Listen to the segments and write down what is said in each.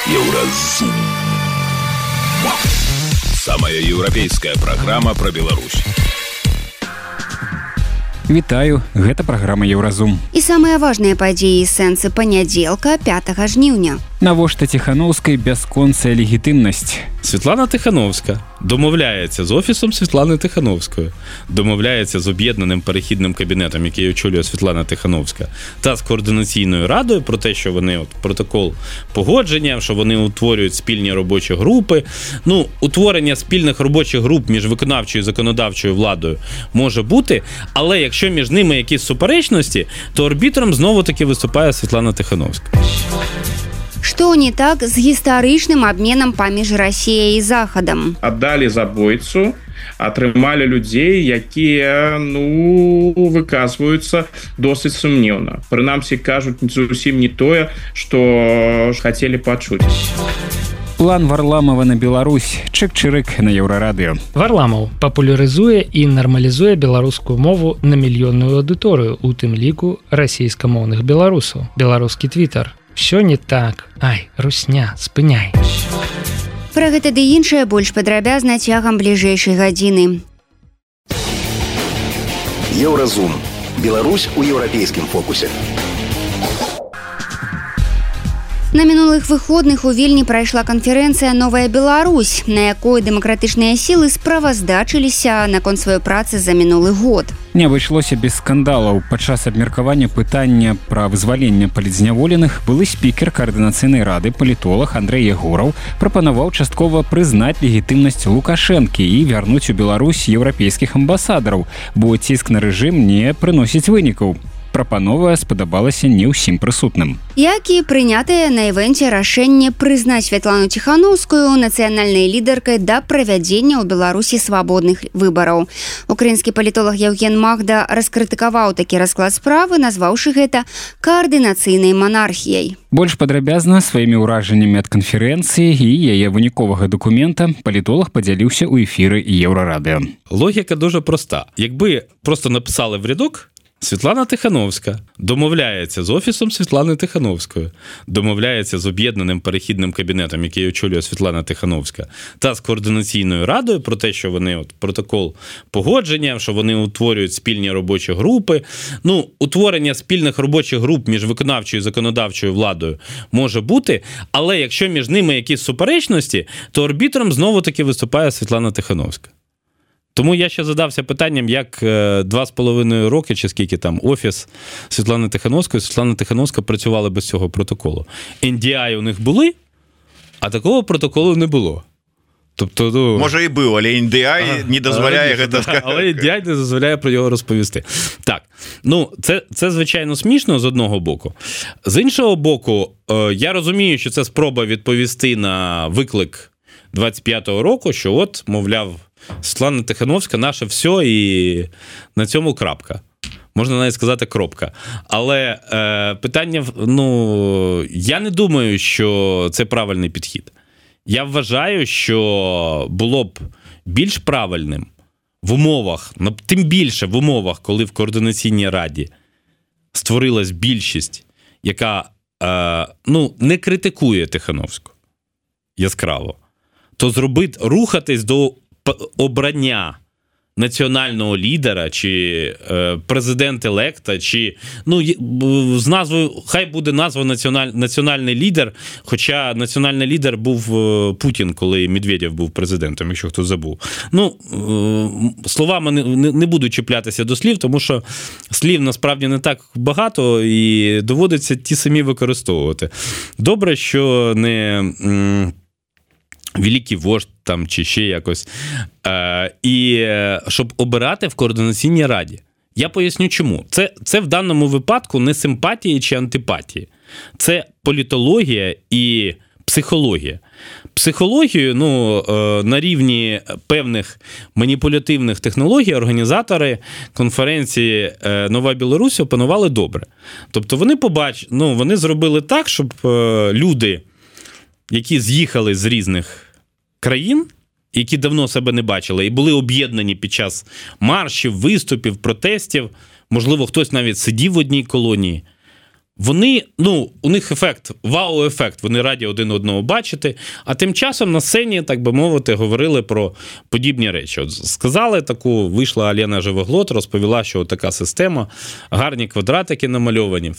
Еўразум. Самая еўрапейская праграма пра Беларусь. Вітаю, гэта праграма Еўразум. І самыя важныя падзеі і сэнсы панядзелка 5 жніўня. Навошта Тихановскай бясконцая легітимнасць? Світлана Тихановська домовляється з Офісом Світлани Тихановської, домовляється з об'єднаним перехідним кабінетом, який очолює Світлана Тихановська, та з Координаційною радою про те, що вони протокол погодження, що вони утворюють спільні робочі групи. Утворення спільних робочих груп між виконавчою і законодавчою владою може бути, але якщо між ними якісь суперечності, то арбітром знову-таки виступає Світлана Тихановська. Што не так з гістарычным абменам паміж Расіяй і Захадам? Аддалі забойцу, атрымалі людзей, якія, выказваюцца досыць сумнеўна. Прынамсі, кажуць зусім не тое, што хацелі пачуць. План Варламова на Беларусь. Чык-чырык на Еўрарадыё. Варламов папулярызуе і нармалізуе беларускую мову на мільённую аўдыторыю, у тым ліку расійскамоўных беларусаў. Беларускі твітар. Всё не так. Ай, русня, спыняй. Пра гэта ды іншае больш падрабязна цягам бліжэйшай гадзіны. Еўразум. Беларусь у еўрапейскім фокусе. На мінулых выходных у Вільні прайшла канферэнцыя «Новая Беларусь», на якой дэмакратычныя сілы справаздачыліся наконт сваёй працы за мінулы год. Не абышлося без скандалаў. Падчас абмеркавання пытання пра вызваленне палітзняволеных былы спікер Координацыйнай рады палітолог Андрэй Ягораў прапанаваў часткова прызнаць легітымнасць Лукашэнкі і вярнуць у Беларусь еўрапейскіх амбасадараў, бо ціск на рэжым не прыносіць вынікаў. Прапанова спадабалася не ўсім прысутным. Як і прынятае на івэнце рашэнне прызнаць Святлану Тихановскую нацыянальнай лідаркай да правядзення ў Беларусі свабодных выбараў. Украінскі палітолог Яўген Магда раскрытыкаваў такі расклад справы, назваўшы гэта каардынацыйнай манархіяй. Больш падрабязна сваімі ўражаннямі ад канферэнцыі і яе выніковага дакумента палітолог падзяліўся ў эфіры Еўрарадыё. Логіка дуже проста. Якби просто написали в рядок Світлана Тихановська домовляється з Офісом Світлани Тихановської, домовляється з об'єднаним перехідним кабінетом, який очолює Світлана Тихановська, та з Координаційною радою про те, що вони протокол погодження, що вони утворюють спільні робочі групи. Утворення спільних робочих груп між виконавчою і законодавчою владою може бути, але якщо між ними якісь суперечності, то арбітром знову-таки виступає Світлана Тихановська. Тому я ще задався питанням, як 2,5 роки, чи скільки там, Офіс Світлани Тихановської, Світлана Тихановська працювали без цього протоколу. NDI у них були, а такого протоколу не було. Тобто, може і був, але NDI не дозволяє гэта сказати. Але NDI не дозволяє про його розповісти. Так, це звичайно смішно з одного боку. З іншого боку, я розумію, що це спроба відповісти на виклик 25-го року, що от, мовляв, Світлана Тихановська наше все і на цьому крапка. Можна навіть сказати кропка. Але питання, я не думаю, що це правильний підхід. Я вважаю, що було б більш правильним в умовах, тим більше в умовах, коли в Координаційній раді створилась більшість, яка не критикує Тихановську яскраво, то рухатись до обрання національного лідера, чи президент-електа, чи, з назвою, хай буде назва національний лідер, хоча національний лідер був Путін, коли Медведєв був президентом, якщо хто забув. Словами не буду чіплятися до слів, тому що слів насправді не так багато і доводиться ті самі використовувати. Добре, що не великий вождь там чи ще якось. І щоб обирати в Координаційній раді. Я поясню чому. Це в даному випадку не симпатії чи антипатії. Це політологія і психологія. Психологію, на рівні певних маніпулятивних технологій організатори конференції «Нова Білорусь» опанували добре. Тобто вони зробили так, щоб люди, які з'їхали з різних країн, які давно себе не бачили, і були об'єднані під час маршів, виступів, протестів, можливо, хтось навіть сидів в одній колонії, вони, у них ефект, вау-ефект, вони раді один одного бачити, а тим часом на сцені, так би мовити, говорили про подібні речі. От сказали таку, вийшла Альона Живоглот, розповіла, що така система, гарні квадратики намальовані,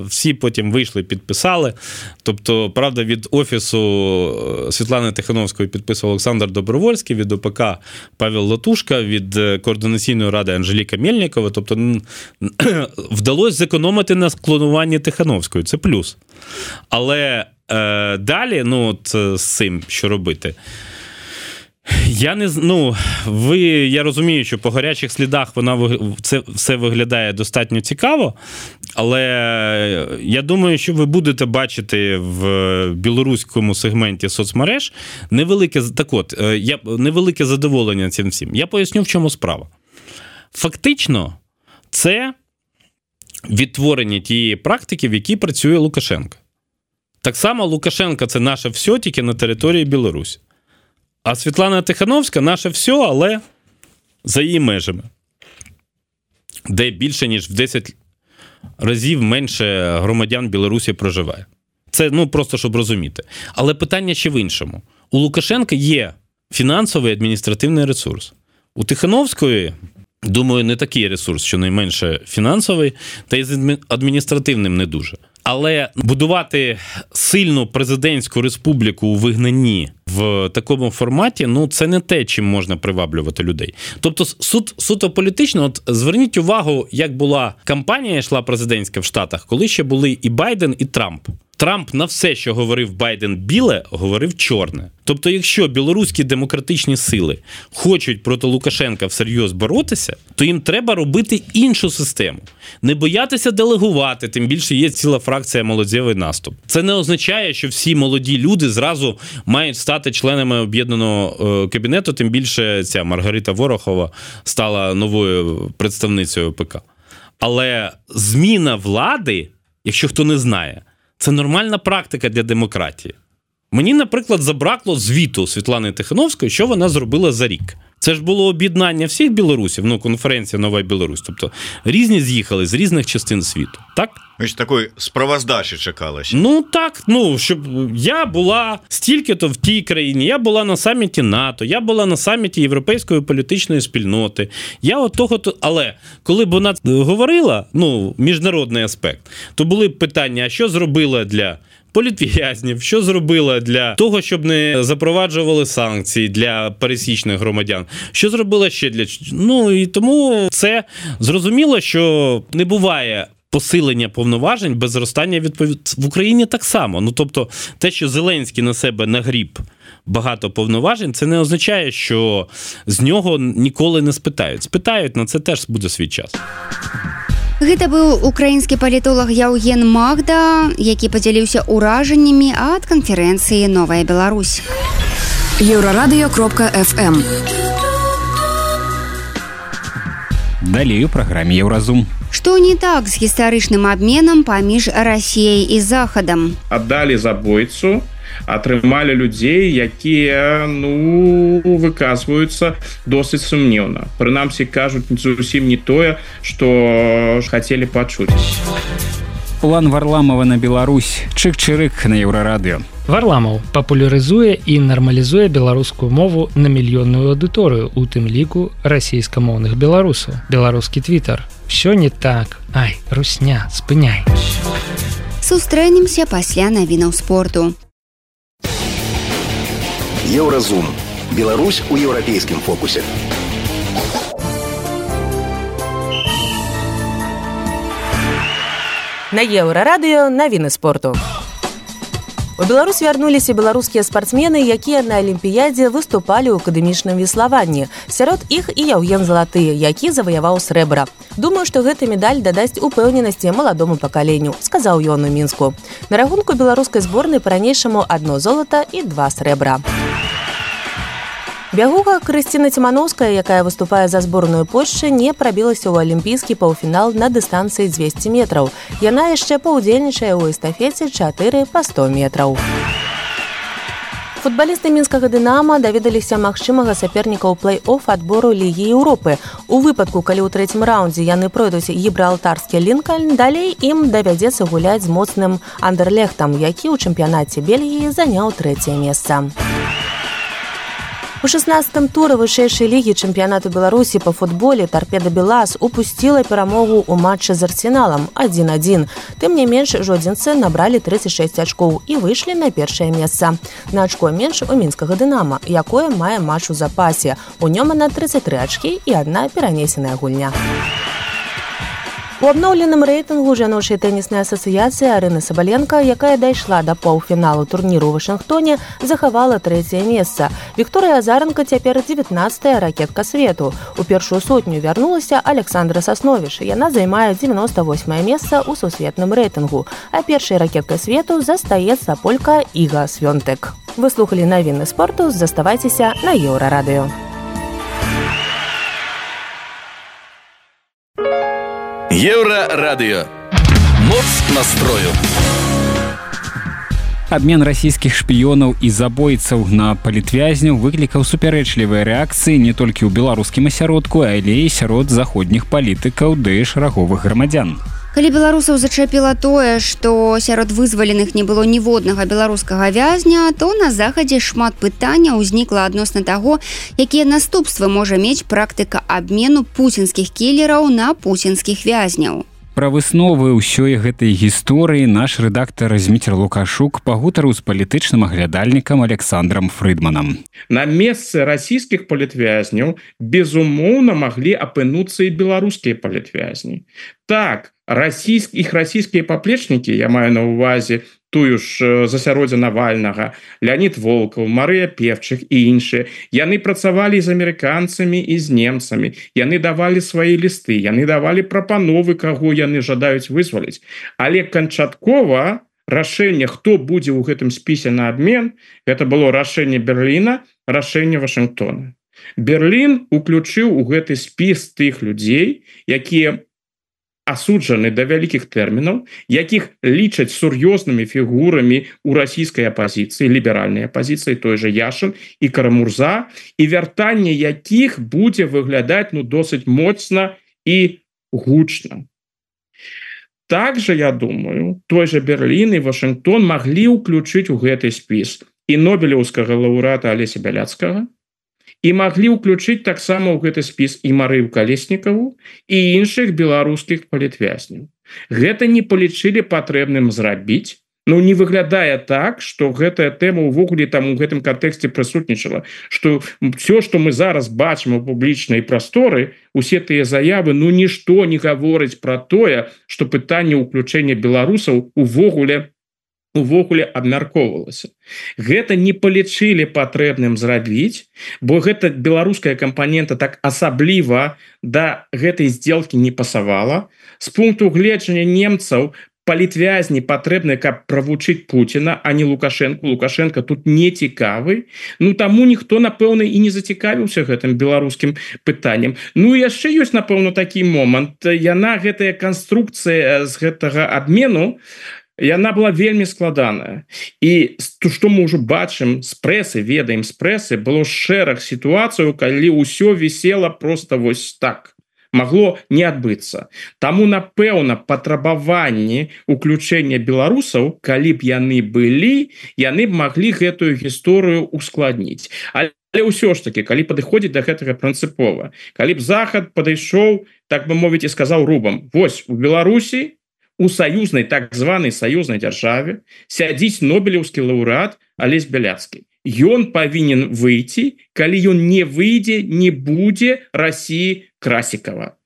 всі потім вийшли, підписали. Тобто, правда, від офісу Світлани Тихановської підписував Олександр Добровольський, від ОПК Павел Латушка, від Координаційної ради Анжеліка Мельникова. Тобто, вдалося зекономити на клонуванні Тихановської, це плюс. Але далі, з цим, що робити? Я розумію, що по гарячих слідах це все виглядає достатньо цікаво, але я думаю, що ви будете бачити в білоруському сегменті соцмереж невелике задоволення цим всім. Я поясню, в чому справа. Фактично, це відтворення тієї практики, в якій працює Лукашенко. Так само Лукашенко – це наше все, тільки на території Білорусі. А Світлана Тихановська – наше все, але за її межами. Де більше, ніж в 10 разів менше громадян Білорусі проживає. Це, просто щоб розуміти. Але питання ще в іншому. У Лукашенка є фінансовий адміністративний ресурс. У Тихановської, думаю, не такий ресурс, щонайменше фінансовий, та й з адміністративним не дуже. Але будувати сильну президентську республіку у вигнанні в такому форматі, це не те, чим можна приваблювати людей. Тобто суто політично, зверніть увагу, як була кампанія йшла президентська в Штатах, коли ще були і Байден, і Трамп. Трамп на все, що говорив Байден біле, говорив чорне. Тобто, якщо білоруські демократичні сили хочуть проти Лукашенка всерйоз боротися, то їм треба робити іншу систему. Не боятися делегувати, тим більше є ціла фракція «Молодєвий наступ». Це не означає, що всі молоді люди зразу мають стати членами об'єднаного кабінету, тим більше ця Маргарита Ворохова стала новою представницею ОПК. Але зміна влади, якщо хто не знає, це нормальна практика для демократії. Мені, наприклад, забракло звіту Світлани Тихановської, що вона зробила за рік. Це ж було об'єднання всіх білорусів, конференція «Нова Білорусь». Тобто різні з'їхали з різних частин світу, так? Ось такої справоздачі чекалося. Так, щоб я була стільки-то в тій країні, я була на саміті НАТО, я була на саміті Європейської політичної спільноти, але коли б вона говорила, міжнародний аспект, то були б питання, а що зробила для політв'язнів, що зробила для того, щоб не запроваджували санкції для пересічних громадян, що зробила ще для... і тому це зрозуміло, що не буває посилення повноважень без зростання відповідальності. В Україні так само. Тобто, те, що Зеленський на себе нагріб багато повноважень, це не означає, що з нього ніколи не спитають. Спитають, на це теж буде свій час. Гэта быў украінскі палітолог Яўген Магда, які падзяліўся ўражаннямі ад канферэнцыі «Новая Беларусь». Еўрарадыё.фм. Далей у праграме «Еўразум». Што не так з гістарычным абменам паміж Расіяй і Захадам? Аддалі забойцу, атрымалі людзей, якія, выказваюцца досыць сумнеўна. Прынамсі, кажуць зусім не тое, што хацелі пачуць. План Варламова на Беларусь. Чык-чырык на Еўрарадыё. Варламаў папулярызуе і нармалізуе беларускую мову на мільённую аўдыторыю, у тым ліку расійскамоўных беларусаў. Беларускі твітар. Всё не так. Ай, русня, спыняй. Сустрэнемся пасля навінаў спорту. Еўразум. Беларусь у еўрапейскім фокусе. На Еўрарадыё навіны спорту. У Беларусь вярнуліся беларускія спартсмены, якія на алімпіядзе выступалі ў акадэмічным веславанні. Сярод іх і Яўген Залаты, які заваяваў срэбра. Думаю, што гэта медаль дадасць упэўненасці маладому пакаленню, сказаў ён у Мінску. На рахунку беларускай зборнай па-ранейшаму 1 золата і 2 срэбра. Бягуха Крысціна Цімановская, якая выступае за зборную Польшчы, не прабілася ў алімпійскі паўфінал на дыстанцыі 200 метраў. Яна яшчэ паўдзельнічае ў эстафеце 4 па 100 метраў. Футбалісты мінскага «Дынама» даведаліся магчымага саперніка ў плэй-офф адбору Лігі Еўропы. У выпадку, калі ў трэцім раўндзе яны пройдуць гібралтарскі Лінкольн, далей ім давядзецца гуляць з моцным Андерлехтам, які ў чэмпіянаце Бельгіі заняў 3е месца. У 16-м туры вышэйшай лігі чэмпіянату Беларусі па футболе «Торпеда Белаз» упусціла перамогу ў матчы з Арсеналам 1-1. Тым не менш, жодзінцы набралі 36 ачкоў і выйшлі на першае месца. На ачко менш у мінскага «Дынама», якое мае матч у запасе. У нём на 33 ачкі і адна перанесеная гульня. У абноўленым рэйтынгу жаночай тэніснай асацыяцыі Арыны Сабаленка, якая дайшла да паўфіналу турніру ў Вашынгтоне, захавала 3е месца. Вікторыя Азаранка цяпер 19-я ракетка свету. У першую сотню вярнулася Александра Сасновіш. Яна займае 98-е месца ў сусветным рэйтынгу. А першай ракеткай свету застаецца полька Іга Свёнтэк. Вы слухалі навіны спорту, заставайцеся на Еўрарадыё. Еўрарадыё. Моц настрою. Абмен расійскіх шпіёнаў і забойцаў на палітвязняў выклікаў супярэчлівыя рэакцыі не толькі ў беларускім асяродку, але і сярод заходніх палітыкаў ды шараговых грамадзян. Калі беларусаў зачапіла тое, што сярод вызваленых не было ніводнага беларускага вязня, то на захадзе шмат пытанняў узнікла адносна таго, якія наступствы можа мець практыка абмену пуцінскіх кілераў на пуцінскіх вязняў. Пра высновы ўсёй гэтай гісторыі наш рэдактар Зміцер Лукашук пагутарыў з палітычным аглядальнікам Александром Фрыдманам. На месцы расійскіх палітвязняў, безумоўна, маглі апынуцца і беларускія палітвязні. Так, іх расійскія паплечнікі, я маю на ўвазе тую ж засяроддзя Навальнага, Леонид Волков, Марыя Певчых і іншыя, яны працавалі з амерыканцамі і з немцамі, яны давалі свае лісты, яны давалі прапановы, каго яны жадаюць вызваліць. Але канчаткова рашэнне, хто будзе ў гэтым спісе на абмен, гэта было рашэнне Берліна, рашэнне Вашынгтона. Берлін уключыў у гэты спіс тых людзей, якія асуджаны да вялікіх тэрмінаў, якіх лічаць сур'ёзнымі фігурамі ў расійскай апазіцыі, ліберальнай апазіцыі, той же Яшин і Карамурза, і вяртанне якіх будзе выглядаць досыць моцна і гучна. Также, я думаю, той же Берлін і Вашынгтон маглі ўключыць у гэты спіс і нобелеўскага лаўрэата Алеся Бяляцкага, і маглі ўключыць таксама ў гэты спіс і Марыю Калеснікаву і іншых беларускіх палітвязняў. Гэта не палічылі патрэбным зрабіць, не выглядае так, што гэтая тэма ўвогуле там у гэтым кантэксце прысутнічала, што все, што мы зараз бачым у публічнай прасторы, усе тыя заявы, нішто не гаворыць пра тое, што пытанне ўключэння беларусаў увогуле абмяркоўвалася. Гэта не палічылі патрэбным зрабіць, бо гэта беларуская кампанента так асабліва да гэтай здзелкі не пасавала. З пункту гледжання немцаў палітвязні патрэбны, каб правучыць Пуціна, а не Лукашенко. Лукашенко тут не цікавы. Таму ніхто, напэўна, і не зацікавіўся гэтым беларускім пытаннем. Яшчэ ёсць, напэўна, такі момант. Гэтая канструкцыя з гэтага абмену, яна была вельмі складаная. І што мы ўжо бачым з прэсы, ведаем з прэсы, было шэраг сітуацыяў, калі ўсё вісела проста вось так. Магло не адбыцца. Таму, напэўна, патрабаванні ўключэння беларусаў, калі б яны былі, яны б маглі гэтую гісторыю ускладніць. Але ўсё ж таки, калі падыходзіць да гэтага прынцыпова, калі б Захад падышоў, так бы мовіць, і сказаў рубам: вось у Беларусі, у саюзнай, так званай саюзнай дзяржаве сядзіць нобелеўскі лаўрэат Алесь Бяляцкі. Ён павінен выйти, калі ён не выйдзе, не будзе Расіі Красікава.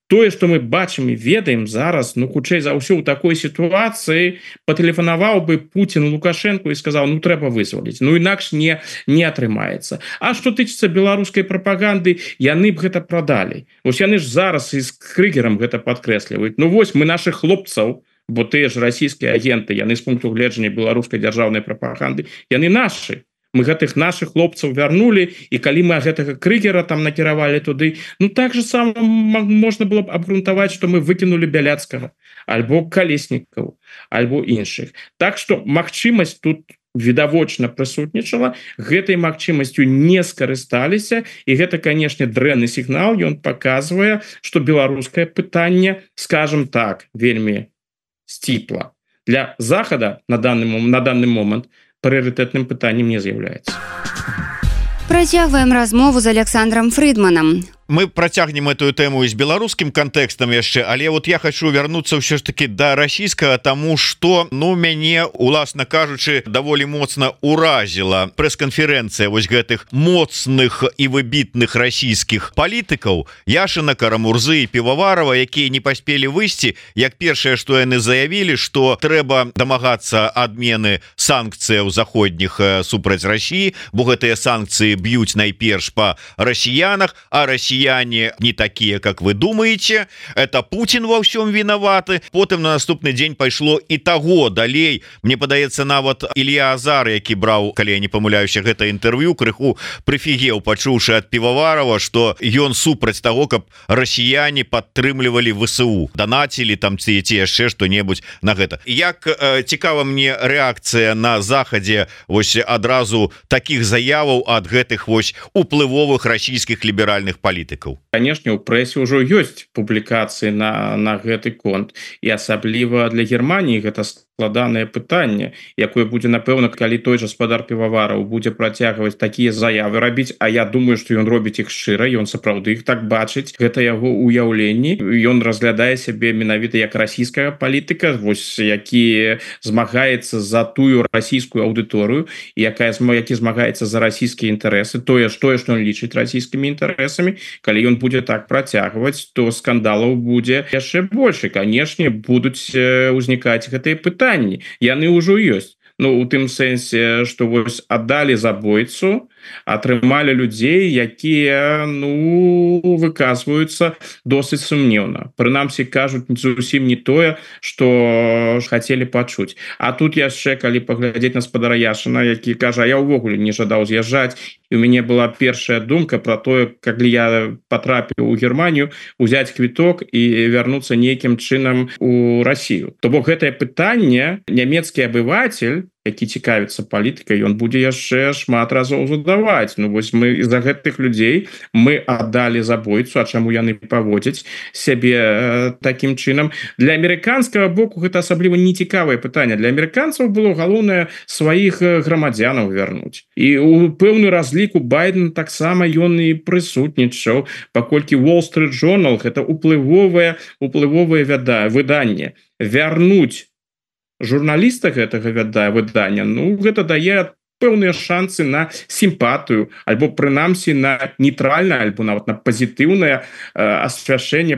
Тое, што мы бачым і ведаем зараз, хутчэй за ўсё ў такой сітуацыі патэлефанаваў бы Пуцін Лукашенку і сказаў: трэба вызваліць, інакш не атрымаецца. А што тычыцца беларускай прапаганды, яны б гэта прадалі. Вось яны ж зараз і з Крыгерам гэта падкрэсліваюць. Вось мы нашых хлопцаў, бо тыя ж расійскія агенты, яны з пункту гледжання беларускай дзяржаўнай прапаганды, яны нашы. Мы гэтых наших хлопцаў вярнулі, і калі мы гэтага Крыгера там накіравалі туды, так же сам можна было б абгрунтаваць, што мы выкінулі Бяляцкага, альбо Калеснікаву, альбо іншых. Так што магчымасць тут відавочна прысутнічала, гэтай магчымасцю не скарысталіся, і гэта, канешне, дрэнны сігнал. Ён паказвае, што беларускае пытанне, скажем так, вельмі сціпла. Для Захада на данный момант прыярытэтным пытаннем не з'яўляецца. Працягваем размову з Александром Фридманам. Мы працягнем эту тэму з беларускім кантэкстам яшчэ, але вот я хочу вярнуцца ўсё ж таки да расійскага, таму што мяне, уласна кажучы, даволі моцна уразіла прэс-канферэнцыя вось гэтых моцных і выбітных расійскіх палітыкаў Яшына, Карамурзы і Піваварова, якія не паспелі выйсці, як першае, што яны заявілі, што трэба дамагацца адмены санкцыяў заходніх супраць Расіі, бо гэтыя санкцыі б'юць найперш па расіянах, а расіяне не такие, как вы думаете, это Путин во всем виноваты. Потым на наступны дзень пайшло і таго далей. Мне падаецца, нават Илья Азар, які браў, калі я не памыляюся, гэта інтэрв'ю, крыху прыфігеў, пачуўшы ад Піваварова, што ён супраць таго, каб расіяне падтрымлівалі ВСУ, данацілі там ці яшчэ што-небудзь на гэта. Як цікава мне рэакцыя на Захадзе вось адразу такіх заяваў ад гэтых вось уплывовых расійскіх ліберальных палітыкаў. Конечно, у прэсе ўжо ёсць публікацыі на гэты конт, і асабліва для Германії гэта складанае пытанне, якое будзе, напэўна, калі той жа спадар Півавараў будзе працягваць такія заявы рабіць, а я думаю, што ён робіць іх шчыра, ён сапраўды іх так бачыць, гэта яго ўяўленні, ён разглядае сябе менавіта як расійская палітыка, вось які змагаецца за тую расійскую аўдыторыю, які змагаецца за расійскія інтарэсы, тое, што ён лічыць расійскімі інтарэсамі. Калі ён будзе так працягваць, то скандалаў будзе яшчэ больш. Канешне, будуць узнікаць гэтыя пытанні. Яны ўжо ёсць. У тым сэнсе, што вось аддалі забойцу, атрымалі людзей, якія выказваюцца досыць сумнеўна. Прынамсі, кажуць зусім не тое, што хацелі пачуць. А тут яшчэ, калі паглядзець на спадара Яшына, які кажа, я ўвогуле не жадаў з'язджаць, і у мяне была першая думка про тое, калі я патрапіў у Германію, узяць квіток і вярнуцца нейкім чынам у Расію. То бок гэтае пытанне нямецкі абыватель, які цікавіцца палітыкай, ён будзе яшчэ шмат разоў задаваць. Вось мы з-за гэтых людзей мы аддалі забойцу, а чаму яны паводзяць сябе такім чынам? Для амерыканскага боку гэта асабліва нецікавае пытанне. Для амерыканцаў было галоўнае сваіх грамадзянаў вярнуць. І у пэўны разлік у Байдена таксама ён і прысутнічаў, паколькі Wall Street Journal гэта уплывовае выданне. Вярнуць журналіста гэтага выдання, гэта дае пэўныя шансы на сімпатыю, альбо прынамсі на нейтральнае, альбо нават на пазітыўнае асвяшчэнне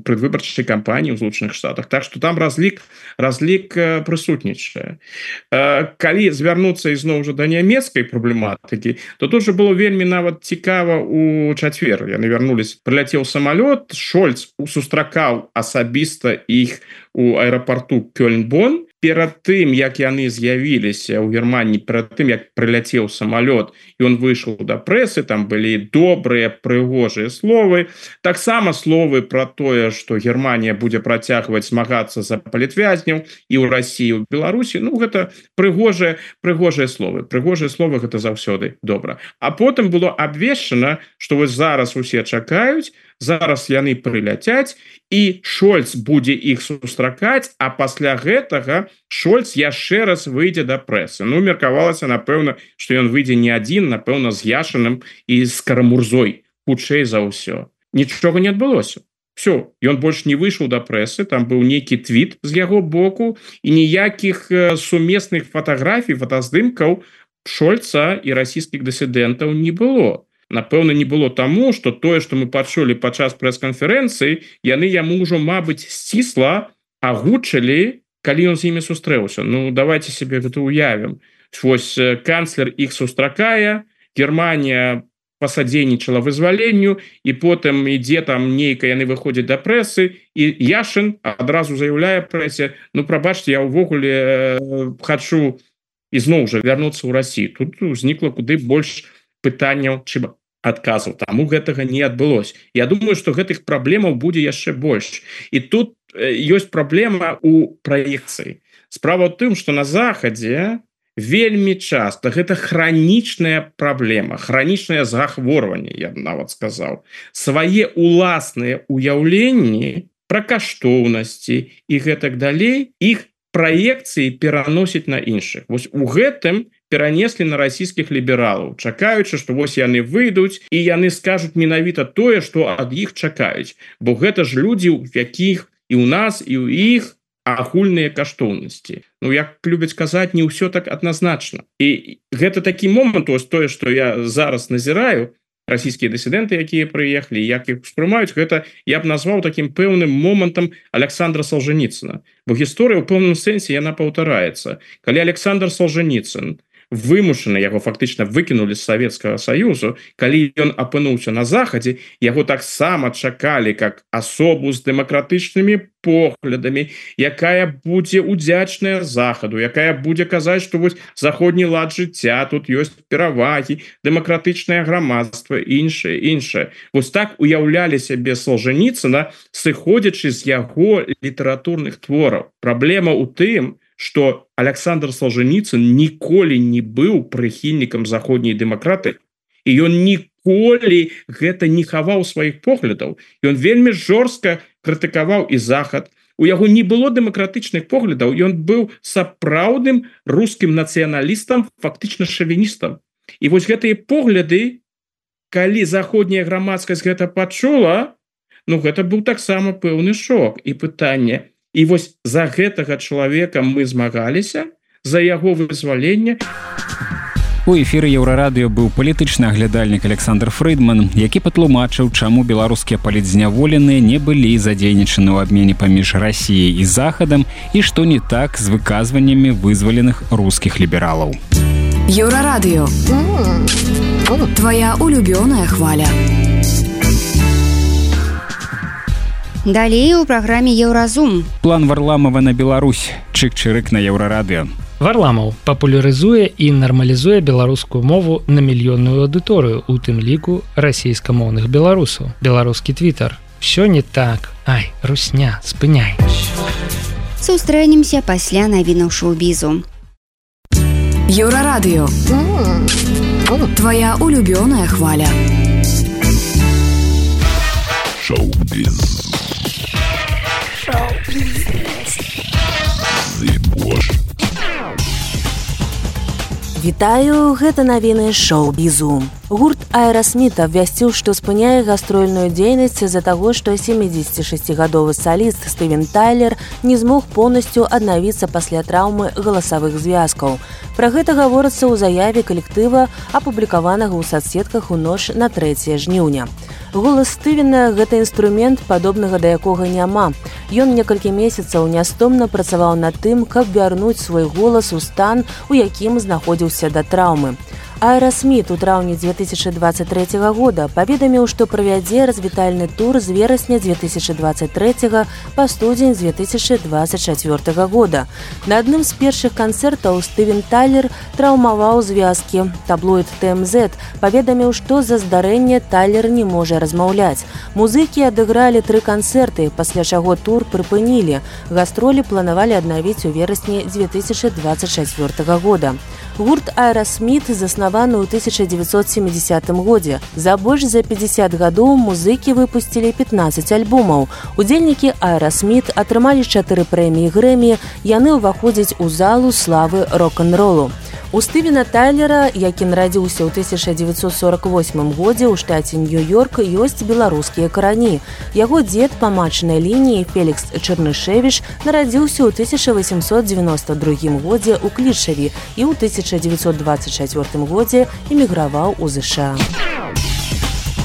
предвыбарчай кампаніі ў Злучаных Штатах. Так што там разлік прысутнічае. Калі звярнуцца ізноў жа да нямецкай праблематыкі, то тут жа было вельмі нават цікава у чацвер. Яны вярнуліся, прыляцеў самалёт, Шольц сустракаў асабіста іх у аэрапарту Кёльн-Бон. Перад тым, як яны з'явіліся ў Германіі, перад тым, як прыляцеў самалёт, і ён выйшаў да прэсы, там былі добрыя, прыгожыя словы. Таксама словы пра тое, што Германія будзе працягваць змагацца за палітвязняў і ў Расіі, і ў Беларусі. Гэта прыгожыя словы. Прыгожыя словы гэта заўсёды добра. А потым было абвешчана, што вось зараз усе чакаюць, зараз яны прыляцяць, і Шольц будзе іх сустракаць, а пасля гэтага Шольц яшчэ раз выйдзе да прэсы. Меркавалася, напэўна, што ён выйдзе не адзін, напэўна, з Яшыным і з Карамурзой, хутчэй за ўсё. Нічога не адбылося. Все, ён больш не выйшаў да прэсы, там быў нейкі твіт з яго боку, і ніякіх сумесных фатаграфій, фотаздымкаў Шольца і расійскіх дысідэнтаў не было. Напэўна, не было таму, што тое, што мы пачулі падчас прэс-канферэнцыі, яны яму ўжо, мабыць, сцісла агучылі, калі ён з імі сустрэўся. Давайте себе гэта уявім. Вось канцлер іх сустракае, Германія пасадзейнічала вызваленню, і потым ідзе там нейка, яны выходзяць да прэсы, і Яшын адразу заяўляе прэсе, прабачце, я ўвогуле хачу ізноў жа вярнуцца ў Расію. Тут узнікла куды больш пытанняў, чым адказаў. Таму гэтага не адбылося. Я думаю, што гэтых праблемаў будзе яшчэ больш. І тут ёсць праблема ў праекцыі. Справа ў тым, што на Захадзе вельмі часта гэта хранічная праблема, хранічнае захворванне, я нават сказаў. Свае уласныя уяўленні пра каштоўнасці і гэтак далей, іх праекцыі пераносіць на іншых. Вось у гэтым перанеслі на расійскіх лібералаў, чакаючы, што вось яны выйдуць і яны скажуць менавіта тое, што ад іх чакаюць. Бо гэта ж людзі, у якіх і ў нас, і ў іх агульныя каштоўнасці. Ну, як любяць казаць, не ўсё так адназначна. І гэта такі момант, ось тое, што я зараз назіраю, расійскія дысідэнты, якія прыехалі, як іх успрымаюць, гэта я б назваў такім пэўным момантам Александра Солженіцына. Бо гісторыя ў пэўным сэнсе яна паўтараецца. Калі Александр Солженіцын вымушаны, яго фактычна выкінулі з Савецкага Саюзу, калі ён апынуўся на захадзе, яго таксама чакалі как асобу з дэмакратычнымі поглядамі, якая будзе удзячная захаду, якая будзе казаць, што вось заходні лад жыцця, тут ёсць перавагі, дэмакратычнае грамадства, іншае. Вось так уяўлялі сябе Солженіцына, сыходзячы з яго літаратурных твораў. Праблема ў тым, што Александр Солженіцын ніколі не быў прыхільнікам заходняй дэмакраты, і ён ніколі гэта не хаваў сваіх поглядаў. Ён вельмі жорстка крытыкаваў і захад. У яго не было дэмакратычных поглядаў, ён быў сапраўдным рускім нацыяналістам, фактычна шавіністам. І вось гэтыя погляды, калі заходняя грамадскасць гэта пачула, ну гэта быў таксама пэўны шок і пытанне. І вось за гэтага чалавека мы змагаліся, за яго вызваленне. У эфіры Еўрарадыё быў палітычны аглядальнік Александр Фрыдман, які патлумачыў, чаму беларускія палітзняволеныя не былі задзейнічаны ў абмене паміж Расіяй і Захадам і што не так з выказваннямі вызваленых рускіх лібералаў. Еўрарадыё. Твоя улюбёная хваля. Далей у праграме Еўразум. План Варламова на Беларусь. Чык-чырык на Еўрарадыё. Варламаў папулярызуе і нармалізуе беларускую мову на мільённую аўдыторыю, у тым ліку расійскамоўных беларусаў. Беларускі твітар. Всё не так. Ай, русня, спыняй. Сустрэнемся пасля навінаў шоу-бізу. Еўрарадыё. Твоя улюбёная хваля. Шоу-біз. Вітаю, гэта навіны шоу-бізу. Гурт Аэрасміт абвясціў, што спыняе гастрольную дзейнасць з-за таго, што 76-гадовы саліст Стывен Тайлер не змог поўнасцю аднавіцца пасля траўмы галасавых звязкаў. Пра гэта гаворыцца ў заяве калектыва, апублікаванага ў сацсетках у ноч на 3 жніўня. Голас Стывена – гэта інструмент, падобнага да якога няма. Ён некалькі месяцаў нястомна працаваў над тым, каб вярнуць свой голас у стан, у якім знаходзіўся да траўмы. Аэрасміт у траўні 2023 года паведаміў, што правядзе развітальны тур з верасня 2023 па студзень 2024 года. На адным з першых канцэртаў Стывен Тайлер траўмаваў звязкі. Таблоід ТМЗ паведаміў, што з-за здарэння Тайлер не можа размаўляць. Музыкі адыгралі 3 канцэрты, пасля чаго тур прыпынілі. Гастролі планавалі аднавіць у верасні 2024 года. Гурт Аэрасміт заснаваны ў 1970 годзе. За больш за 50 гадоў музыкі выпусцілі 15 альбомаў. Удзельнікі Аэрасміт атрымалі 4 прэміі Грэмі, яны ўваходзяць у залу славы рок-н-ролу. У Стывена Тайлера, які нарадзіўся ў 1948 годзе ў штаце Нью-Йорк, ёсць беларускія карані. Яго дзед па матчынай лініі Фелікс Чэрнышевіч нарадзіўся ў 1892 годзе ў Клішаві і ў 1924 годзе эміграваў у ЗША.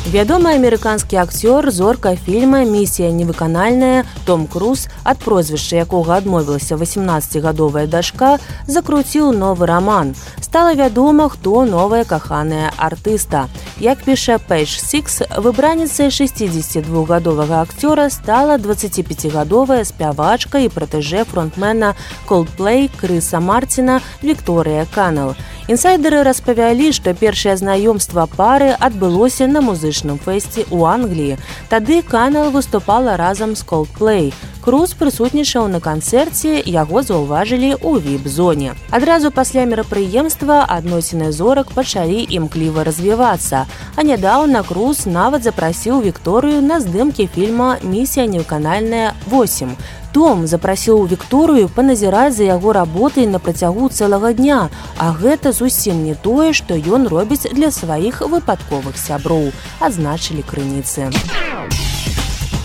Вядомы амерыканскі акцёр, зорка фільма «Місія невыканальная» Том Круз, ад прозвішча якога адмовілася 18-гадовая дачка, закруціў новы раман. Стала вядома, хто новая каханая артыста. Як піша Page Six, выбраніцай 62-гадовага акцёра стала 25-гадовая спявачка і пратэжэ фронтмена Coldplay Крыса Мартіна Вікторыя Каннелл. Інсайдеры распавялі, што першае знаёмства пары адбылося на музычным фэсце ў Англіі. Тады Каннелл выступала разам з Coldplay. Круз прысутнічаў на канцэрце, яго заўважылі ў віп-зоне. Адразу пасля мерапрыемства адносіны зорак пачалі імкліва развівацца, а нядаўна Круз нават запрасіў Вікторыю на здымкі фільма «Місія невыканальная 8». Том запрасіў Вікторыю паназіраць за яго работай на працягу цэлага дня, а гэта зусім не тое, што ён робіць для сваіх выпадковых сяброў, адзначылі крыніцы.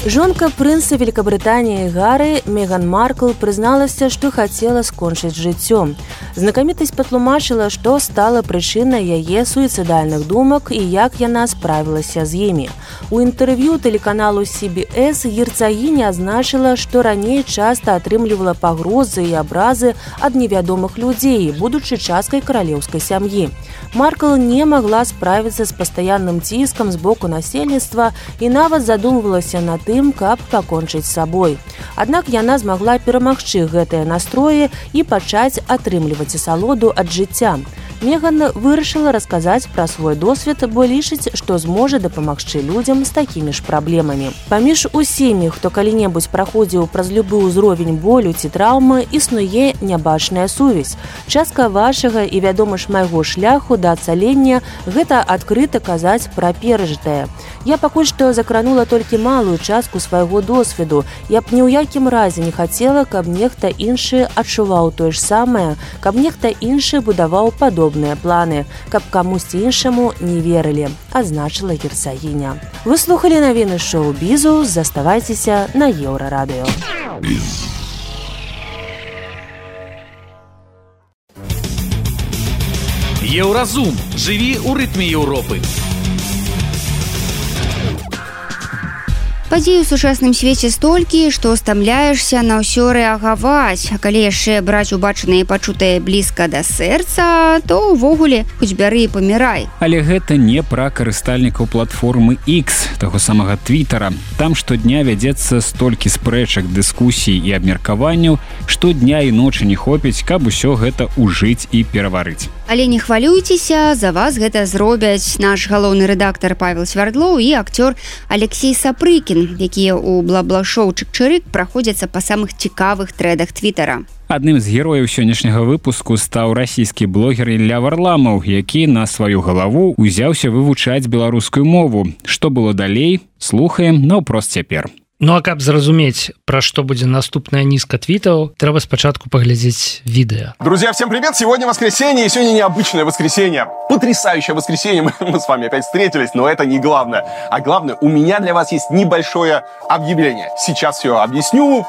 Жонка прынца Великабрытаніі Гары Меган Маркл прызналася, што хацела скончыць жыццё. Знакамітасць патлумачыла, што стала прычынай яе суіцыдальных думак і як яна справілася з імі. У інтэрв'ю тэлеканалу CBS герцагіня адзначыла, што раней часта атрымлівала пагрозы і абразы ад невядомых людзей, будучы часткай каралеўскай сям'і. Маркл не магла справіцца з пастаянным ціскам з боку насельніцтва і нават задумвалася над тым, каб пакончыць з сабой. Аднак яна змагла перамагчы гэтыя настроі і пачаць атрымліваць асалоду ад жыцця. Меган вырашыла расказаць пра свой досвед, бо лічыць, што зможа дапамагчы людзям з такімі ж праблемамі. Паміж усімі, хто калі-небудзь праходзіў праз любы ўзровень болю ці траўмы, існуе нябачная сувязь. Частка вашага і, вядома ж, майго шляху да ацалення – гэта адкрыта казаць пра перажытае. Я пакуль што закранула толькі малую частку свайго досведу. Я б ні ў якім разе не хацела, каб нехта іншы адчуваў тое ж самае, каб нехта іншы будаваў падобныя планы, каб камусьці іншаму не верылі, адзначыла герцагіня. Вы слухалі навіны шоу-бізу, заставайцеся на Еўрарадыё. Еўразум. Жыві ў рытме Еўропы. Падзей у сучасным свеце столькі, што стамляешся на ўсё рэагаваць. А калі яшчэ браць убачанае і пачутае блізка да сэрца, то ўвогуле хоць бяры і памірай. Але гэта не пра карыстальнікаў платформы X, таго самага Твіттера. Там штодня вядзецца столькі спрэчак, дыскусій і абмеркаванняў, што дня і ночы не хопіць, каб усё гэта ўжыць і пераварыць. Але не хвалюйцеся, за вас гэта зробяць наш галоўны рэдактар Павел Свярдлоў і акцёр Алексей Сапрыкін, якія ў бла-бла-шоу «Чык-чырык» праходзяцца па самых цікавых трэдах Твіттера. Адным з герояў сённяшняга выпуску стаў расійскі блогер Ілля Варламаў, які на сваю галаву узяўся вывучаць беларускую мову. Што было далей, слухаем наўпрост цяпер. Ну а каб зразумець, пра што будзе наступная нізка твітаў, трэба спачатку паглядзець відэо. Друзья, всем привет! Сегодня воскресенье, и сегодня необычное воскресенье. Потрясающее воскресенье, мы с вами опять встретились, но это не главное. А главное, у меня для вас есть небольшое объявление. Сейчас все объясню,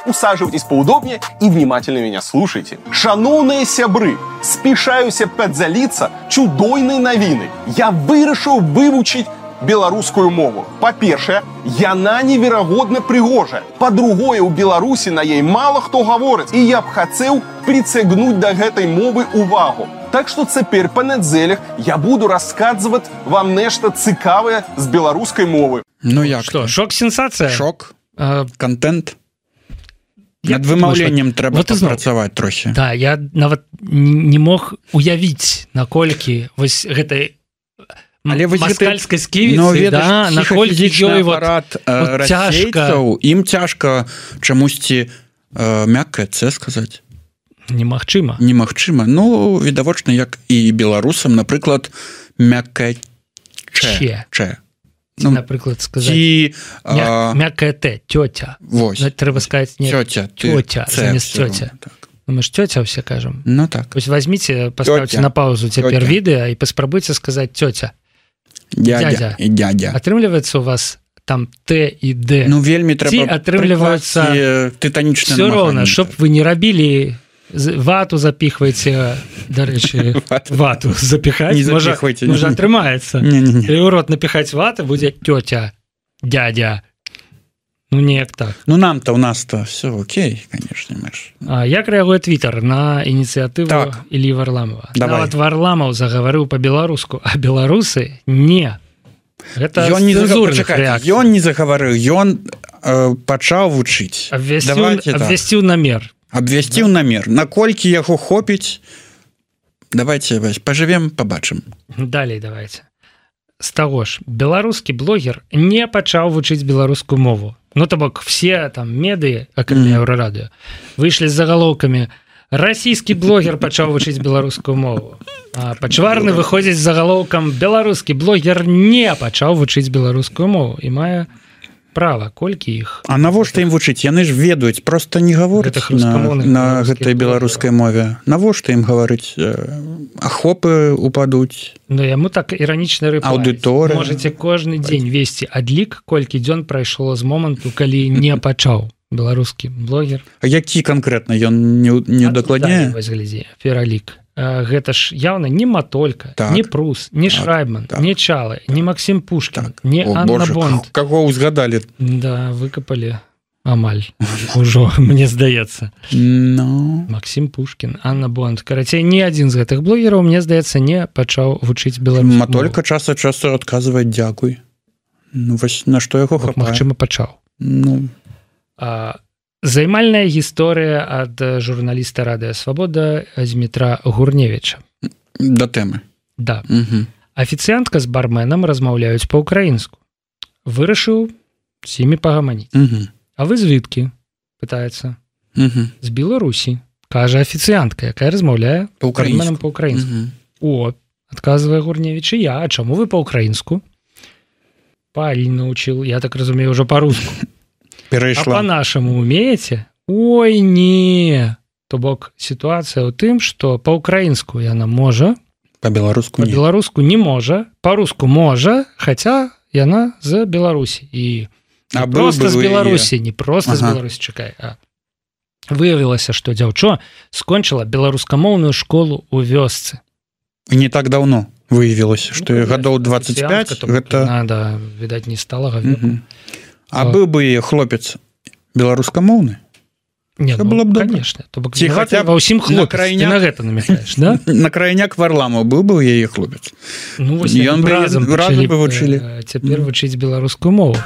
усаживайтесь поудобнее и внимательно меня слушайте. Шановные сябры, спешаюся подзалиться чудойной новиной. Я вырашыў вывучить беларускую мову. Па-першае, яна неверагодна прыгожая. Па-другое, у Беларусі на ей мало хто гаворыць, і я б хацеў прыцягнуць да гэтай мовы увагу. Так што цяпер па нядзелях я буду расказваць вам нешта цікавае з беларускай мовы. Ну як? Што, шок-сенсацыя? Шок, контент. Над вымаўленнем трэба папрацаваць трохі. Да, я нават не мог уявіць, наколькі вось гэтай маскальскай сківіцы, да, наколькі ёй апарат расейцаў, ім цяжка чамусьці мяккае «Ц» сказаць. Немагчыма. Немагчыма. Ну, відавочна, як і беларусам, напрыклад, мяккае «Ч». Ну, напрыклад, сказаць мяккае «Т», тёця. Вось. Трэба сказаць не тёця, замест тёця. Мы ж тёця все кажам. Ну так. Вось возьмите, поставьте на паузу цяпер відэа і паспрабуйце сказаць тёця. Дядя і дядя. Атрымліваецца у вас там Т і Д. Ну вельмі трэба атрымліваецца тытанічна. Все роўна, чтоб вы не рабілі вату запихваеце, дарэчы, вату запихаць. Можа атрымаецца. І ў рот напихаць ваты будзе тётя, дядя. Ну, неяк так. Ну, нам-то, у нас-то все окей, конечно. А як рэагуе Твиттер на ініцыятыву Іллі Варламова? Нават Варламаў загаварыў па-беларуску, а беларусы не. Гэта цэнзурных рэакцый. Ён не загаварыў, ён пачаў вучыць. Абвясціў намер. Абвясціў намер. Наколькі яго хопіць, давайте пажывем, пабачым. Далей давайте. З таго ж, беларускі блогер не пачаў вучыць беларускую мову. Ну, то бок, все там медыі, акрамя Еўрарадыё, выйшлі з загалоўкамі «Расійскі блогер пачаў вучыць беларускую мову». А Пачварны выходзіць з загалоўкам «Беларускі блогер не пачаў вучыць беларускую мову» і мае права, колькі іх. А навошта ім вучыць? Яны ж ведаюць, просто не гавораць на гэтай беларускай мове. Навошта ім гаварыць? Ахопы упадуць. Ну, яму так іранічна рэплай. Аўдыторыя. Можаце кожны дзень весці адлік, колькі дзён прайшло з моманту, калі не пачаў беларускі блогер. А які канкрэтна ён не удакладняе? Пералік. Гэта ж явно не Матолька, так. Не Прус, не Шрайбман, так. Не Чалы, не Максим Пушкин, так. Не Анна Бонд. Кого узгадали? Да, выкопали амаль. Ужо, мне здаецца. No. Максим Пушкин, Анна Бонд. Карацей, ні адзін з гэтых блогераў, мне здаецца, не пачаў вучыць беларускую мову. Матолька час ад часу адказвае дзякуй. Ну, вось на што яго хапае? Магчыма, пачаў. Ну. Займальная гісторыя ад журналіста Радыё Свабода Змітра Гурневіча. Да тэмы. Да. Афіцыянтка з барменам размаўляюць па-ўкраінску. Вырашыў з імі пагаманіць. А вы звідкі? Пытаецца. З Беларусі. Кажа афіцыянтка, якая размаўляе барменам па-ўкраінску. О, адказвае Гурневіч, і я. А чаму вы па-ўкраінску? Паль научыў, я так разумею, ўжо па-руску. Перайшла. А по-нашаму умееце? Ой, не. То бок сітуацыя ў тым, што па-ўкраінску яна можа, па-беларуску не. Па-беларуску не можа, па-руску можа, хаця яна з Беларусі. І не проста з Беларусі, не проста з Беларусі, чакай. Выявілася, што дзяўчо скончыла беларускамоўную школу ў вёсцы. І не так даўно выявілася, што гадоў 25 гэта... Да, відаць, не сталага веку. А быў бы хлопец беларускамоўны? Не, ну, было б конечно. Ці хаця ва ўсім хлопец, ты на гэта намякаеш, да? На крайняк Варламаў быў бы яе хлопец. Ну, вось ён бы разам вучылі. Цяпер вучыць беларускую мову.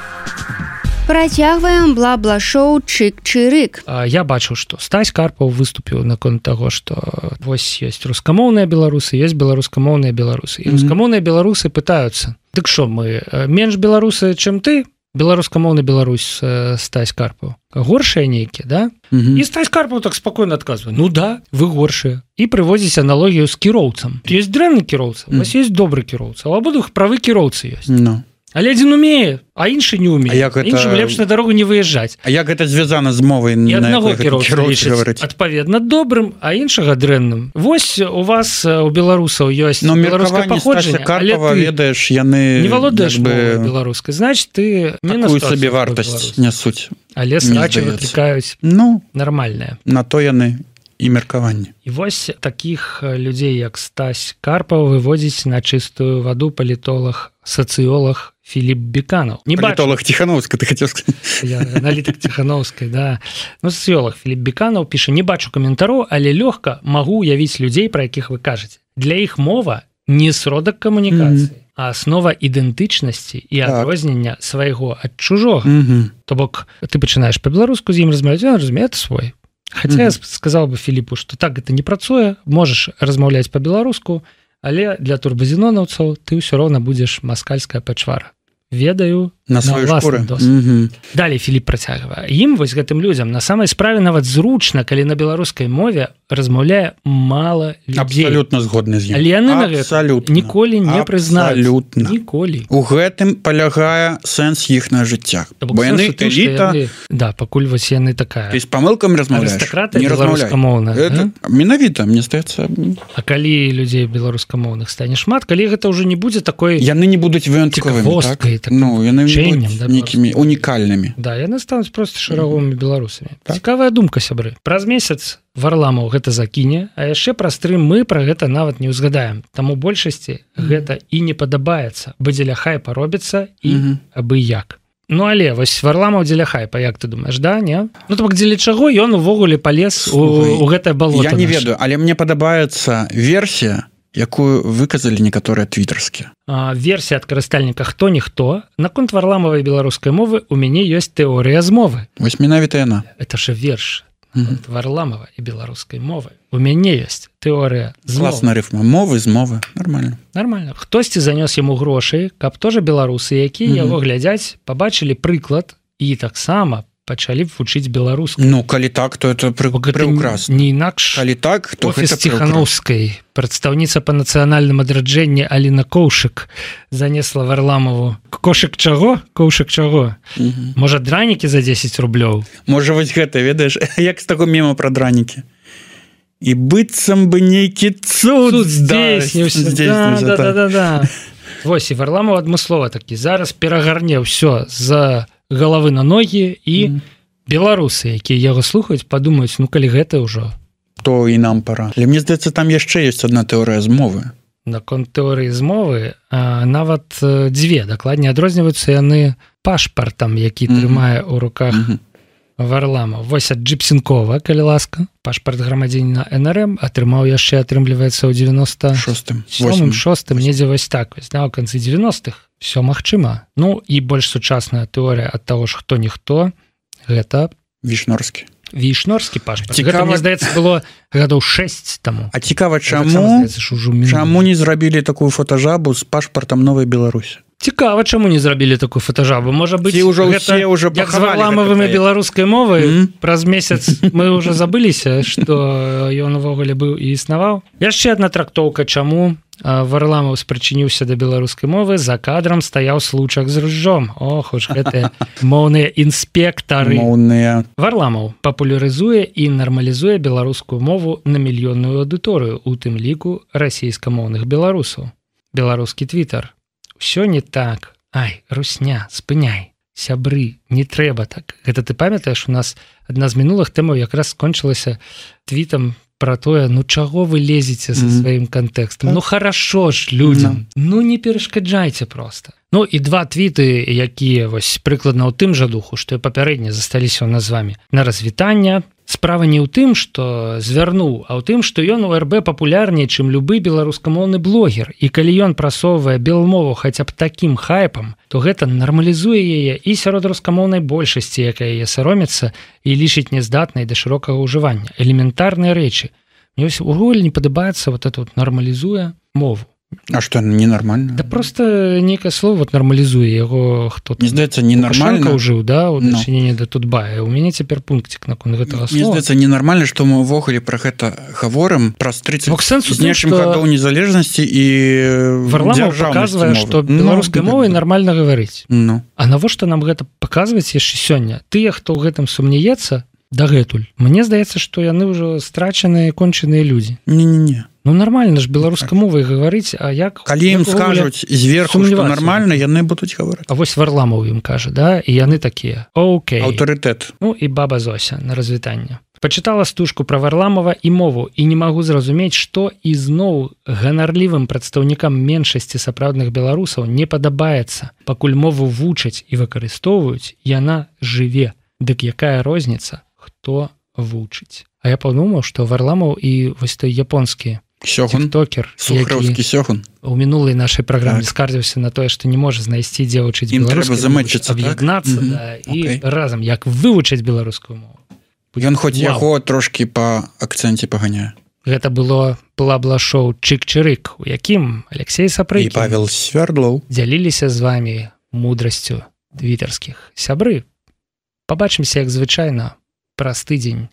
Працягваем бла-бла-шоу чык-чырык. Я бачыў, што Стась Карпаў выступіў наконт таго, што вось ёсць рускамоўныя беларусы, ёсць беларускамоўныя беларусы. І рускамоўныя беларусы пытаюцца: дык што, мы менш беларусы, чым ты? Беларускамоўны Беларусь Стась Карпаў. Горшыя нейкія, да? І Стась Карпаў так спакойна адказвае: ну да, вы горшыя. І прыводзіць аналогію з кіроўцам. Ёсць дрэнны кіроўца, у вас ёсць добры кіроўца, а ў абодвух правы кіроўцы ёсць. Але адзін умее, а іншы не умее. Іншым лепш на дарогу не выязджаць. А як гэта звязана з мовай? І аднаго кіроўца лічыць адпаведна добрым, а іншага дрэнным. Вось у вас у беларусаў ёсць беларускае паходжанне, але ты ведаеш, яны не валодаеш мовай беларускай, значыць ты не такую сабе вартасць нясуць. Але срачы выклікаюць нармальныя. На то яны і меркаванне. І вось такіх людзей, як Стась Карпаў, выводзіць на чыстую ваду палітолог, сацыёлог Філіп Беканаў. Палітолог Ціханаўскай, ты хацеў сказаць. Аналітык Ціханаўскай, да. Ну, сацыёлог Філіп Беканаў піша: не бачу каментароў, але лёгка магу уявіць людзей, пра якіх вы кажаце. Для іх мова не сродак камунікацыі, а аснова ідэнтычнасці і адрознення свайго ад чужога. То бок ты пачынаеш па-беларуску з ім размаўляць, ён разумее, это свой. Хаця я сказаў бы Філіпу, што так гэта не працуе, можаш размаўляць па-беларуску, але для турбазінонаўцаў ты ўсё роўна будзеш маскальская пачвара. Ведаю на ўласны досвед. Далей Філіп працягвае: ім, вось гэтым людзям, на самай справе нават зручна, калі на беларускай мове размаўляе мала людзей. Абсалютна згодны з ім. Але яны на гэта ніколі не прызнаюць. Ніколі. У гэтым палягае сэнс іхнага жыцця. Бо яны эліта... Да, пакуль вось яны такая. Ты з памылкам размаўляеш? Арыстакраты беларускамоўная. Менавіта, мне здаецца. А калі людзей беларускамоўных стане шмат, калі гэта ўжо не будзе такой... Яны не будуць выjąтковымі, так? Ну, яны нейкімі унікальнымі. Да, яны стануць проста шараговымі беларусамі. Цікавая думка, сябры. Праз месяц Варламаў гэта закіне, а яшчэ праз 3 мы пра гэта нават не ўзгадаем. Таму большасці гэта і не падабаецца, бо дзеля хайпа робіцца і абы як. Ну, але вось Варламаў дзеля хайпа, як ты думаеш, да, не? Ну, так дзеля чаго ён увогуле палез у гэтае балота? Я не ведаю, але мне падабаецца версія, якую выказалі некаторыя твітарскія. Версія ад карыстальніка «Хто-ніхто». Наконт Варламавай беларускай мовы у мяне ёсць тэорыя змовы. Вось менавіта яна. Это ж верш Варламава і беларускай мовы. У мяне ёсць тэорыя змовы. Класна рыфма. Мовы з мовы. Нормально. Нормально. Хтосьці занёс яму грошай, каб тоже беларусы, якія яго глядзяць, пабачылі прыклад і таксама пачалі б вучыць беларускую. Ну калі так, то это прекрасно. Не інакш. Калі так, то офіс Ціхановскай, прадстаўніца па нацыянальным адраджэнні Аліна Коўшык занесла Варламову кошык чаго? Коўшык чаго? Можа, дранікі за 10 рублёў? Можа, вось гэта, ведаеш, як з таго мема пра дранікі. І быццам бы нейкі цуд здзейсніўся. Да. Вось, і Варламов адмыслова такі, зараз перагарне ўсё з галавы на ногі, і беларусы, якія яго слухаюць, падумаюць, ну калі гэта ўжо, то і нам пора. Але мне здаецца, там яшчэ ёсць адна тэорыя змовы. Наконт тэорыі змовы нават дзве, дакладней адрозніваюцца яны пашпартам, які трымае ў руках Варламов. Вось ад Джипсенкова, калі ласка, пашпарт грамадзяніна НРМ атрымаў яшчэ, атрымліваецца, ў 96-м, недзе вось так, вось, у канцы 90-х. Все магчыма. Ну і больш сучасная тэорыя ад таго ж хто-ніхто, гэта Вішнорскі пашпарт. Гэта, мне здаецца, было гадоў 6 таму. А цікава, чаму не зрабілі такую фотажабу з пашпартам Новай Беларусі? Цікава, чаму не зрабілі такую фотажабу? Можа быць, гэта як з Варламовымі беларускай мовай, праз месяц мы ўжо забыліся, што ён увогуле быў і існаваў. Яшчэ адна трактоўка, чаму Варламов спрычыніўся да беларускай мовы, за кадрам стаяў случак з ружжом. Ох уж гэтыя моўныя інспектары. Варламов папулярызуе і нармалізуе беларускую мову на мільённую аўдыторыю, у тым ліку расійскамоўных беларусаў. Беларускі твітар. Усё не так. Ай, русня, спыняй. Сябры, не трэба так. Гэта ты памятаеш, у нас адна з мінулых тэмаў якраз скончылася твітам про тое, ну чаго вы лезеце со сваім кантэкстам? Ну хорошо ж людям. Ну не перашкаджайце просто. Ну і два твіты, якія вось прыкладна ў тым жа духу, што і папярэдне засталіся ў нас з вами. На развітання. Справа не ў тым, што звярнуў, а ў тым, што ён у РБ папулярней, чым любы беларускамоўны блогер. І калі ён прасоўвае белмову хаця б такім хайпам, то гэта нармалізуе яе і сярод рускамоўнай большасці, якая яе саромецца і лічыць нездатнай да шырокага ўжывання. Элементарныя рэчы. Мне вось увогуле не падабаецца вот это вот нармалізуе мову. А што, ненармальна? Да просто некае слово вот нармалізуе яго хто-то. Мне здаецца, ненармальна. Лукашенко ўжыў, да, у дачыненні да Тутбая. У мяне цяпер пунктик наконт гэтага слова. Мне здаецца, ненармальна, што мы ўвогуле пра гэта гаворым праз 30 з нечым гадоў незалежнасці і Варламов паказвае, што беларускай мовай нармальна гаварыць. А навошта нам гэта паказваць яшчэ сёння? Тыя, хто ў гэтым сумнеецца, дагэтуль. Мне здаецца, што яны ўжо страчаныя, кончаныя людзі. Не-не-не. Ну нормально ж беларускай мовай гаварыць, а як... Калі ім скажуць зверху, што нармальна, яны будуць гаварыць. А вось Варламов ім кажа, да? І яны такія. Окей. Аўтарытэт. Ну і баба Зося на развітанне. Пачытала стужку пра Варламова і мову і не магу зразумець, што ізноў ганарлівым прадстаўнікам меншасці сапраўдных беларусаў не падабаецца. Пакуль мову вучаць і выкарыстоўваюць, яна жыве. Дык якая розніца, хто вучыць? А я падумаў, што Варламов і вось той японскі тиктокер, Сухаровскі Сёгун, у мінулай нашай праграме скардзіўся на тое, што не можа знайсці дзе вучыць беларускую мову, аб'яднацца і разам як вывучыць беларускую мову. Ён хоць яго трошкі па акцэнце паганяе. Гэта было плабла-шоу «Чык-чырык», у якім Алексей Сапрыкін і Павел Свярдлоў дзяліліся з вамі мудрасцю твітарскіх. Сябры, пабачымся, як звычайна, праз тыдзень.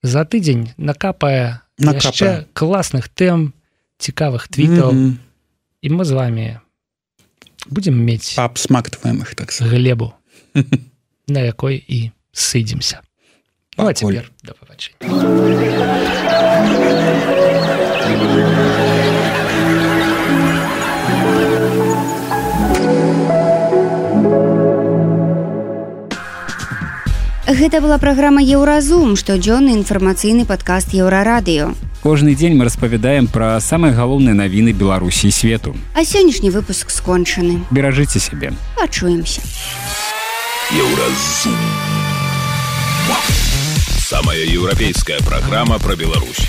За тыдзень накапае яшчэ класных тэм, цікавых твітаў, і мы з вамі будзем мець абсмактваем іх так глебу, на якой і сыдземся. Ну а цяпер да пабачення. Гэта была праграма «Еўразум», штодзённы інфармацыйны падкаст «Еўрарадыё». Кожны дзень мы распавядаем пра самыя галоўныя навіны Беларусі і свету. А сённяшні выпуск скончаны. Беражыце сябе. Пачуемся. «Еўразум». Самая еўрапейская праграма пра Беларусь.